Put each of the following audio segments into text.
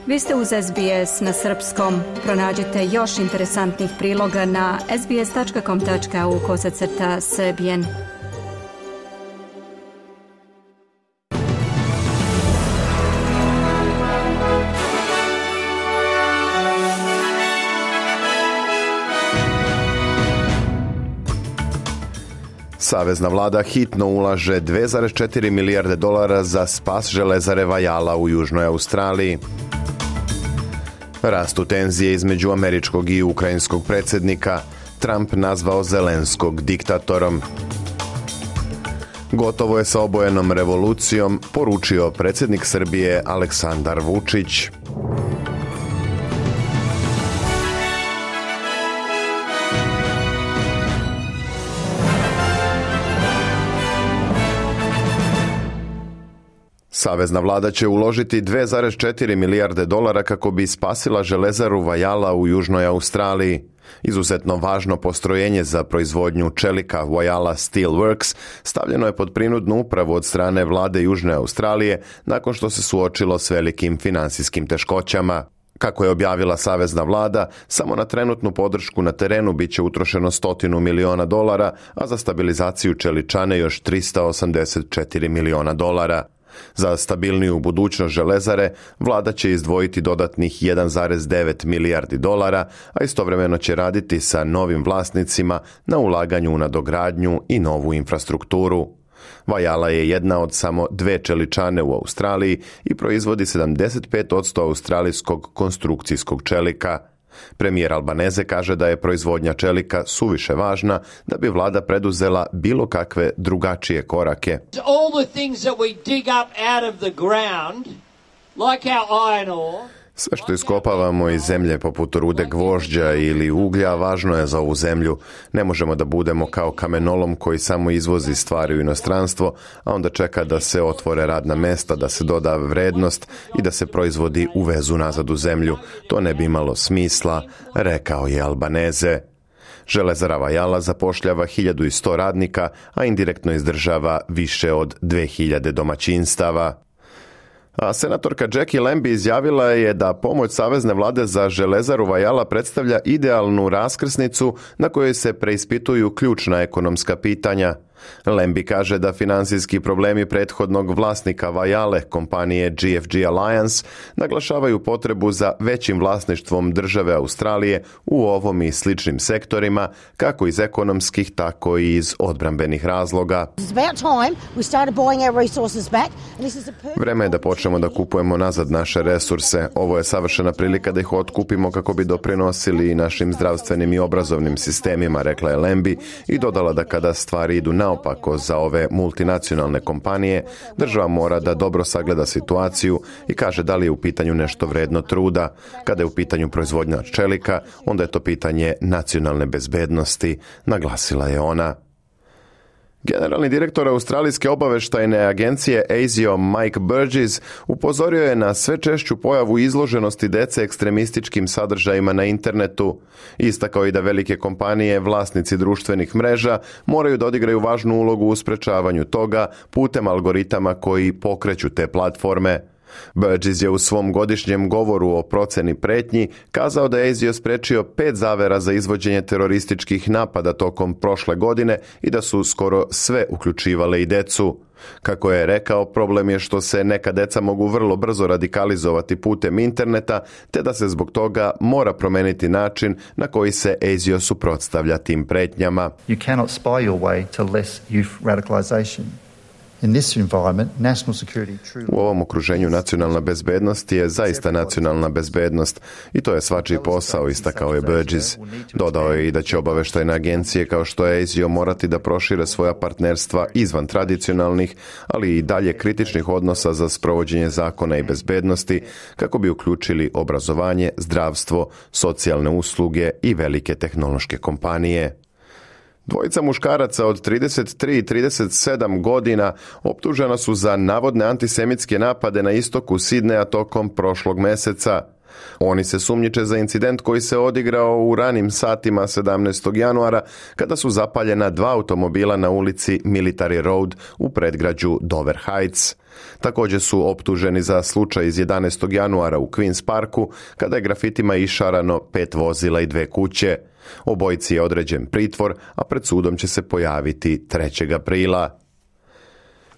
Vi ste uz SBS na srpskom. Pronađite još interesantnih priloga na sbs.com.au/srbijen. Savezna vlada hitno ulaže $2,4 milijarde za spas železare Whyalla u Južnoj Australiji. Rastu tenzije između američkog i ukrajinskog predsjednika, Trump nazvao Zelenskog diktatorom. Gotovo je sa obojenom revolucijom, poručio predsjednik Srbije Aleksandar Vučić. Savezna vlada će uložiti $2,4 milijarde kako bi spasila železaru Whyalla u Južnoj Australiji. Izuzetno važno postrojenje za proizvodnju čelika Whyalla Steelworks stavljeno je pod prinudnu upravu od strane vlade Južne Australije nakon što se suočilo s velikim finansijskim teškoćama. Kako je objavila savezna vlada, samo na trenutnu podršku na terenu bit će utrošeno $100 miliona, a za stabilizaciju čeličane još $384 miliona. Za stabilniju budućnost železare, vlada će izdvojiti dodatnih $1,9 milijardi, a istovremeno će raditi sa novim vlasnicima na ulaganju u nadogradnju i novu infrastrukturu. Whyalla je jedna od samo 2 čeličane u Australiji i proizvodi 75% australijskog konstrukcijskog čelika. Premijer Albanese kaže da je proizvodnja čelika suviše važna da bi vlada preduzela bilo kakve drugačije korake. Sve što iskopavamo iz zemlje poput rude gvožđa ili uglja važno je za ovu zemlju. Ne možemo da budemo kao kamenolom koji samo izvozi stvari u inostranstvo, a onda čeka da se otvore radna mesta, da se doda vrednost i da se proizvodi uvezu nazad u zemlju. To ne bi imalo smisla, rekao je Albanese. Železara Whyalla zapošljava 1100 radnika, a indirektno izdržava više od 2000 domaćinstava. A senatorka Jackie Lambie izjavila je da pomoć savezne vlade za železaru Whyalla predstavlja idealnu raskrsnicu na kojoj se preispituju ključna ekonomska pitanja. Lambie kaže da finansijski problemi prethodnog vlasnika Whyalla, kompanije GFG Alliance, naglašavaju potrebu za većim vlasništvom države Australije u ovom i sličnim sektorima, kako iz ekonomskih, tako i iz odbrambenih razloga. Vreme je da počnemo da kupujemo nazad naše resurse. Ovo je savršena prilika da ih otkupimo kako bi doprinosili i našim zdravstvenim i obrazovnim sistemima, rekla je Lambie i dodala da kada stvari idu naopako za ove multinacionalne kompanije, država mora da dobro sagleda situaciju i kaže da li je u pitanju nešto vredno truda. Kada je u pitanju proizvodnja čelika, onda je to pitanje nacionalne bezbednosti, naglasila je ona. Generalni direktor Australijske obaveštajne agencije ASIO Mike Burgess upozorio je na sve češću pojavu izloženosti dece ekstremističkim sadržajima na internetu. Istakao i da velike kompanije, vlasnici društvenih mreža, moraju da odigraju važnu ulogu u sprečavanju toga putem algoritama koji pokreću te platforme. Burgess je u svom godišnjem govoru o proceni pretnji kazao da je ASIO sprečio 5 zavera za izvođenje terorističkih napada tokom prošle godine i da su skoro sve uključivale i decu. Kako je rekao, problem je što se neka deca mogu vrlo brzo radikalizovati putem interneta, te da se zbog toga mora promeniti način na koji se ASIO suprotstavlja tim pretnjama. You cannot spy your way to less youth radicalization. In this environment, national security truly... U ovom okruženju nacionalna bezbednost je zaista nacionalna bezbednost i to je svačiji posao, istakao je Burgess. Dodao je i da će obaveštajne agencije kao što je ASIO morati da prošire svoja partnerstva izvan tradicionalnih, ali i dalje kritičnih odnosa za sprovođenje zakona i bezbednosti kako bi uključili obrazovanje, zdravstvo, socijalne usluge i velike tehnološke kompanije. Dvojica muškaraca od 33 i 37 godina optužena su za navodne antisemitske napade na istoku Sidneja tokom prošlog meseca. Oni se sumnjiče za incident koji se odigrao u ranim satima 17. januara kada su zapaljena 2 automobila na ulici Military Road u predgrađu Dover Heights. Također su optuženi za slučaj iz 11. januara u Queens Parku kada je grafitima išarano 5 vozila i 2 kuće. Obojici je određen pritvor, a pred sudom će se pojaviti 3. aprila.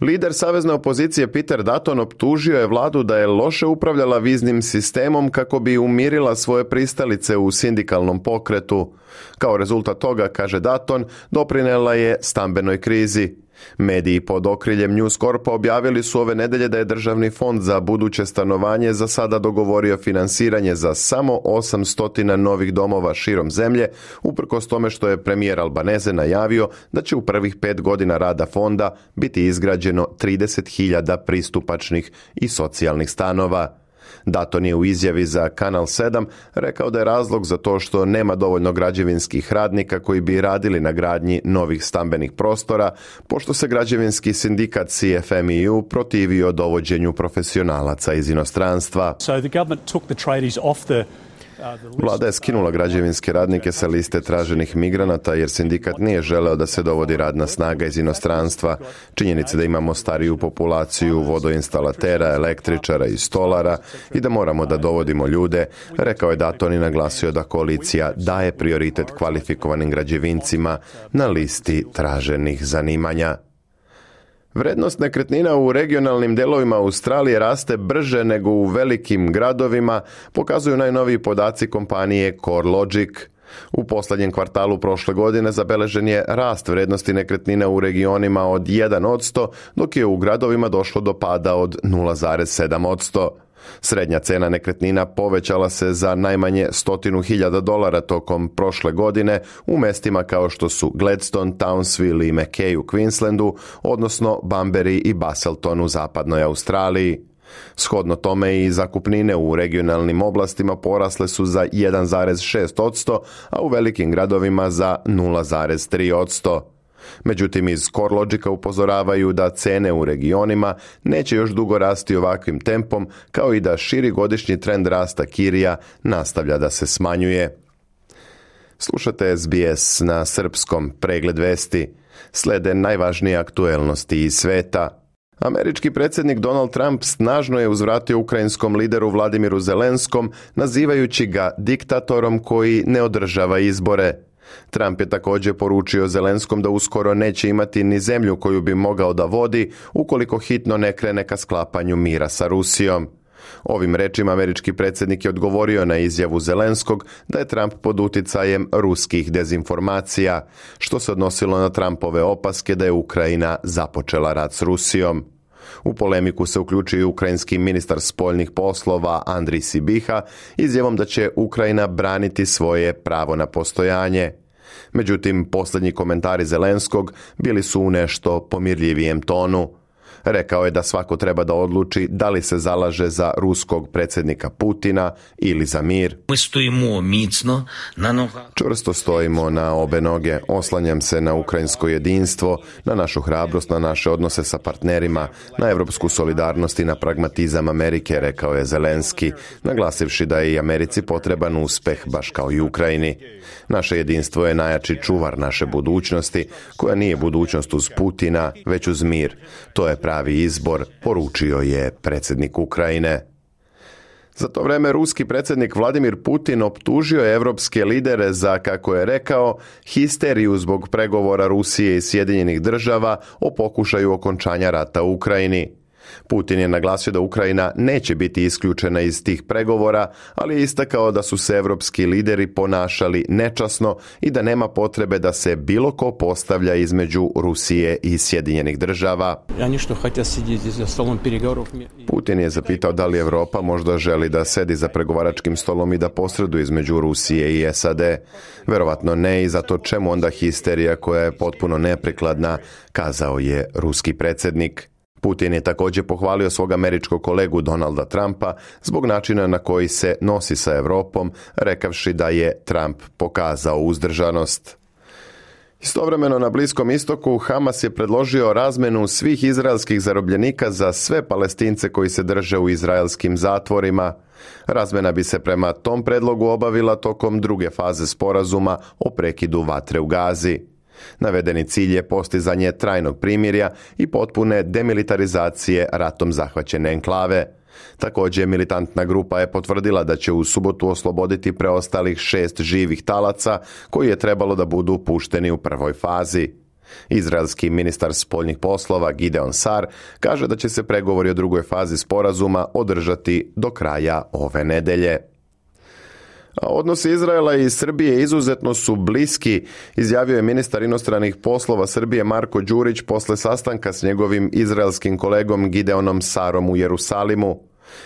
Lider savezne opozicije Peter Dutton optužio je vladu da je loše upravljala viznim sistemom kako bi umirila svoje pristalice u sindikalnom pokretu. Kao rezultat toga, kaže Dutton, doprinela je stambenoj krizi. Mediji pod okriljem News Corpa objavili su ove nedelje da je Državni fond za buduće stanovanje za sada dogovorio finansiranje za samo 800 novih domova širom zemlje, uprkos tome što je premijer Albanese najavio da će u prvih 5 godina rada fonda biti izgrađeno 30.000 pristupačnih i socijalnih stanova. Dutton je u izjavi za Kanal 7 rekao da je razlog za to što nema dovoljno građevinskih radnika koji bi radili na gradnji novih stambenih prostora, pošto se građevinski sindikat CFMEU protivio dovođenju profesionalaca iz inostranstva. Vlada je skinula građevinske radnike sa liste traženih migranata jer sindikat nije želeo da se dovodi radna snaga iz inostranstva. Činjenica da imamo stariju populaciju vodoinstalatera, električara i stolara i da moramo da dovodimo ljude, rekao je Dutton i naglasio da koalicija daje prioritet kvalifikovanim građevincima na listi traženih zanimanja. Vrednost nekretnina u regionalnim delovima Australije raste brže nego u velikim gradovima, pokazuju najnoviji podaci kompanije CoreLogic. U posljednjem kvartalu prošle godine zabeležen je rast vrednosti nekretnina u regionima od 1%, dok je u gradovima došlo do pada od 0,7%. Srednja cena nekretnina povećala se za najmanje $100,000 tokom prošle godine u mestima kao što su Gladstone, Townsville i Mackay u Queenslandu, odnosno Bunbury i Busselton u zapadnoj Australiji. Shodno tome i zakupnine u regionalnim oblastima porasle su za 1,6%, a u velikim gradovima za 0,3%. Međutim, iz CoreLogica upozoravaju da cene u regionima neće još dugo rasti ovakvim tempom, kao i da širi godišnji trend rasta kirija nastavlja da se smanjuje. Slušate SBS na srpskom, pregled vesti. Slede najvažnije aktuelnosti iz sveta. Američki predsjednik Donald Trump snažno je uzvratio ukrajinskom lideru Vladimiru Zelenskom, nazivajući ga diktatorom koji ne održava izbore. Trump je također poručio Zelenskom da uskoro neće imati ni zemlju koju bi mogao da vodi ukoliko hitno ne krene ka sklapanju mira sa Rusijom. Ovim rečima američki predsjednik je odgovorio na izjavu Zelenskog da je Trump pod uticajem ruskih dezinformacija, što se odnosilo na Trumpove opaske da je Ukrajina započela rat s Rusijom. U polemiku se uključio i ukrajinski ministar spoljnih poslova Andrij Sibiha izjavom da će Ukrajina braniti svoje pravo na postojanje. Međutim, posljednji komentari Zelenskog bili su u nešto pomirljivijem tonu. Rekao je da svako treba da odluči da li se zalaže za ruskog predsjednika Putina ili za mir. Čvrsto stojimo na obe noge, oslanjam se na ukrajinsko jedinstvo, na našu hrabrost, na naše odnose sa partnerima, na evropsku solidarnost i na pragmatizam Amerike, rekao je Zelenski, naglasivši da je i Americi potreban uspeh, baš kao i Ukrajini. Naše jedinstvo je najjači čuvar naše budućnosti, koja nije budućnost uz Putina, već uz mir. To je pravi izbor, poručio je predsjednik Ukrajine. Za to vrijeme ruski predsjednik Vladimir Putin optužio je evropske lidere za, kako je rekao, histeriju zbog pregovora Rusije i Sjedinjenih Država o pokušaju okončanja rata u Ukrajini. Putin je naglasio da Ukrajina neće biti isključena iz tih pregovora, ali je istakao da su se evropski lideri ponašali nečasno i da nema potrebe da se bilo ko postavlja između Rusije i Sjedinjenih Država. Putin je zapitao da li Europa možda želi da sedi za pregovaračkim stolom i da posreduje između Rusije i SAD. Verovatno ne, i zato čemu onda histerija koja je potpuno neprikladna, kazao je ruski predsjednik. Putin je također pohvalio svog američkog kolegu Donalda Trumpa zbog načina na koji se nosi sa Europom, rekavši da je Trump pokazao uzdržanost. Istovremeno na Bliskom istoku Hamas je predložio razmjenu svih izraelskih zarobljenika za sve Palestince koji se drže u izraelskim zatvorima. Razmjena bi se prema tom predlogu obavila tokom druge faze sporazuma o prekidu vatre u Gazi. Navedeni cilj je postizanje trajnog primirja i potpune demilitarizacije ratom zahvaćene enklave. Također, militantna grupa je potvrdila da će u subotu osloboditi preostalih 6 živih talaca koji je trebalo da budu pušteni u prvoj fazi. Izraelski ministar spoljnih poslova Gideon Sar kaže da će se pregovori o drugoj fazi sporazuma održati do kraja ove nedelje. Odnosi Izraela i Srbije izuzetno su bliski, izjavio je ministar inostranih poslova Srbije Marko Đurić posle sastanka s njegovim izraelskim kolegom Gideonom Sarom u Jerusalimu.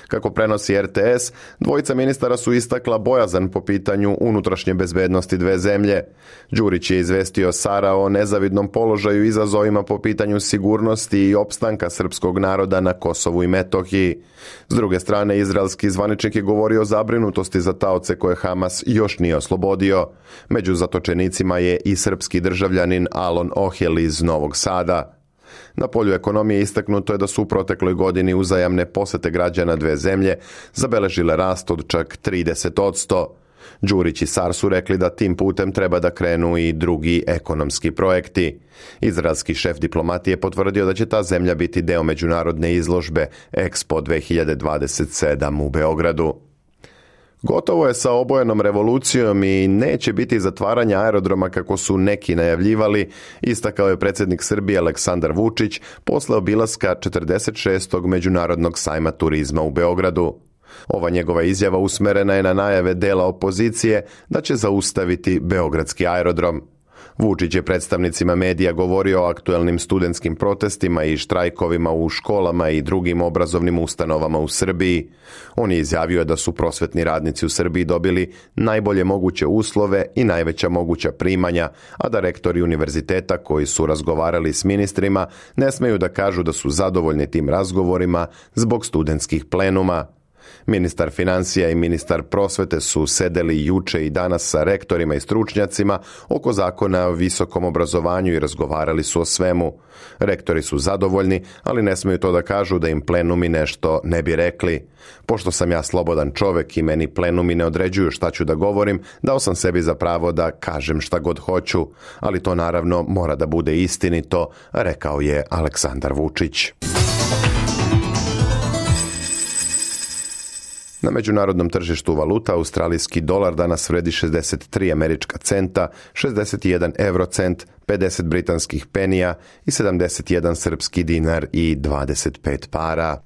Kako prenosi RTS, dvojica ministara su istakla bojazan po pitanju unutrašnje bezbednosti dve zemlje. Đurić je izvestio Sara o nezavidnom položaju i izazovima po pitanju sigurnosti i opstanka srpskog naroda na Kosovu i Metohiji. S druge strane, izraelski zvaničnik je govorio o zabrinutosti za taoce koje Hamas još nije oslobodio. Među zatočenicima je i srpski državljanin Alon Ohel iz Novog Sada. Na polju ekonomije istaknuto je da su u protekloj godini uzajamne posete građana dve zemlje zabeležile rast od čak 30%. Đurić i Sar su rekli da tim putem treba da krenu i drugi ekonomski projekti. Izraelski šef diplomatije potvrdio da će ta zemlja biti deo međunarodne izložbe Expo 2027 u Beogradu. Gotovo je sa obojenom revolucijom i neće biti zatvaranja aerodroma kako su neki najavljivali, istakao je predsjednik Srbije Aleksandar Vučić posle obilaska 46. Međunarodnog sajma turizma u Beogradu. Ova njegova izjava usmerena je na najave dela opozicije da će zaustaviti beogradski aerodrom. Vučić je predstavnicima medija govorio o aktuelnim studentskim protestima i štrajkovima u školama i drugim obrazovnim ustanovama u Srbiji. On je izjavio da su prosvetni radnici u Srbiji dobili najbolje moguće uslove i najveća moguća primanja, a da rektori univerziteta koji su razgovarali s ministrima ne smeju da kažu da su zadovoljni tim razgovorima zbog studentskih plenuma. Ministar financija i ministar prosvete su sedeli juče i danas sa rektorima i stručnjacima oko zakona o visokom obrazovanju i razgovarali su o svemu. Rektori su zadovoljni, ali ne smeju to da kažu da im plenumi nešto ne bi rekli. Pošto sam ja slobodan čovek i meni plenumi ne određuju šta ću da govorim, dao sam sebi za pravo da kažem šta god hoću, ali to naravno mora da bude istinito, rekao je Aleksandar Vučić. Na međunarodnom tržištu valuta australijski dolar danas vredi 63 američka centa, 61 eurocent, 50 britanskih penija i 71 srpski dinar i 25 para.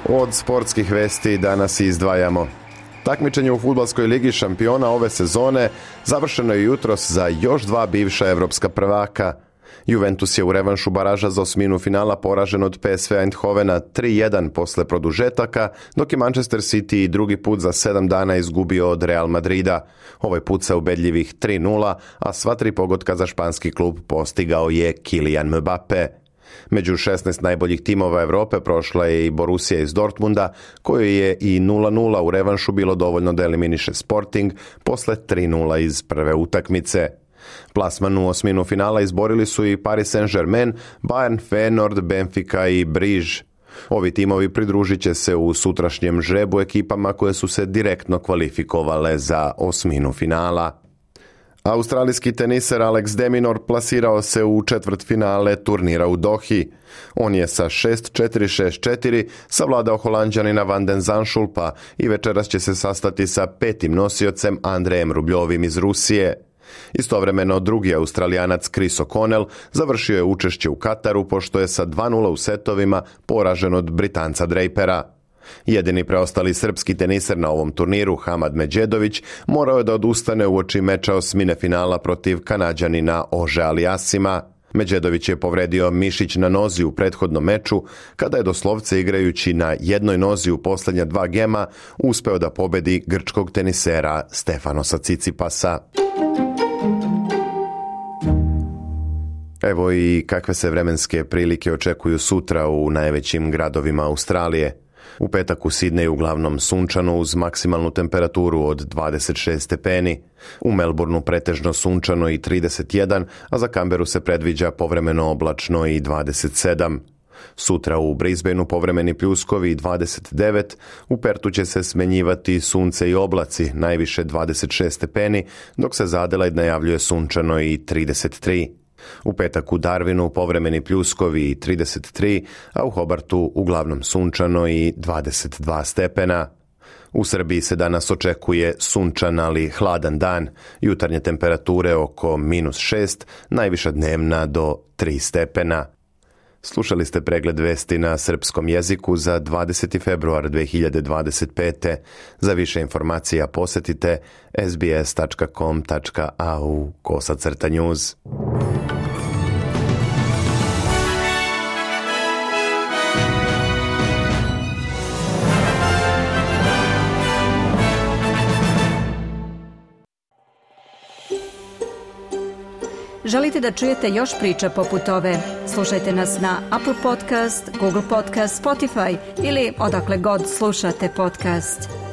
Od sportskih vesti danas izdvajamo. Takmičenje u fudbalskoj ligi šampiona ove sezone završeno je jutros za još dva bivša evropska prvaka. Juventus je u revanšu baraža za osminu finala poražen od PSV Eindhovena 3-1 posle produžetaka, dok je Manchester City i drugi put za 7 dana izgubio od Real Madrida. Ovaj put sa ubedljivih 3-0, a sva 3 pogotka za španski klub postigao je Kylian Mbappe. Među 16 najboljih timova Evrope prošla je i Borussia iz Dortmunda, kojoj je i 0-0 u revanšu bilo dovoljno da eliminiše Sporting posle 3-0 iz prve utakmice. Plasman u osminu finala izborili su i Paris Saint-Germain, Bayern, Feyenoord, Benfica i Briž. Ovi timovi pridružit će se u sutrašnjem žrebu ekipama koje su se direktno kvalifikovale za osminu finala. Australijski teniser Alex de Minaur plasirao se u četvrtfinale turnira u Dohi. On je sa 6-4, 6-4 savladao Holanđanina Van den Zandschulpa i večeras će se sastati sa petim nosiocem Andrejem Rubljovim iz Rusije. Istovremeno drugi Australijanac Chris O'Connell završio je učešće u Kataru pošto je sa 2-0 u setovima poražen od Britanca Drapera. Jedini preostali srpski teniser na ovom turniru, Hamad Medjedović, morao je da odustane uoči meča osmine finala protiv Kanađanina Ože Aliasima. Medjedović je povredio mišić na nozi u prethodnom meču, kada je doslovce igrajući na jednoj nozi u posljednja 2 gema uspeo da pobedi grčkog tenisera Stefanosa Cicipasa. Evo i kakve se vremenske prilike očekuju sutra u najvećim gradovima Australije. U petak u Sidneju uglavnom sunčano uz maksimalnu temperaturu od 26 stepeni. U Melbourneu pretežno sunčano i 31, a za Canberru se predviđa povremeno oblačno i 27. Sutra u Brisbaneu povremeni pljuskovi i 29, u Pertu će se smenjivati sunce i oblaci, najviše 26 stepeni, dok se za Adelaide najavljuje sunčano i 33. U petak u Darwinu povremeni pljuskovi i 33, a u Hobartu uglavnom sunčano i 22 stepena. U Srbiji se danas očekuje sunčan, ali hladan dan, jutarnje temperature oko -6, najviša dnevna do 3 stepena. Slušali ste pregled vesti na srpskom jeziku za 20. februar 2025. Za više informacija posjetite sbs.com.au/news. Želite da čujete još priča poput ove? Slušajte nas na Apple Podcast, Google Podcast, Spotify ili odakle god slušate podcast.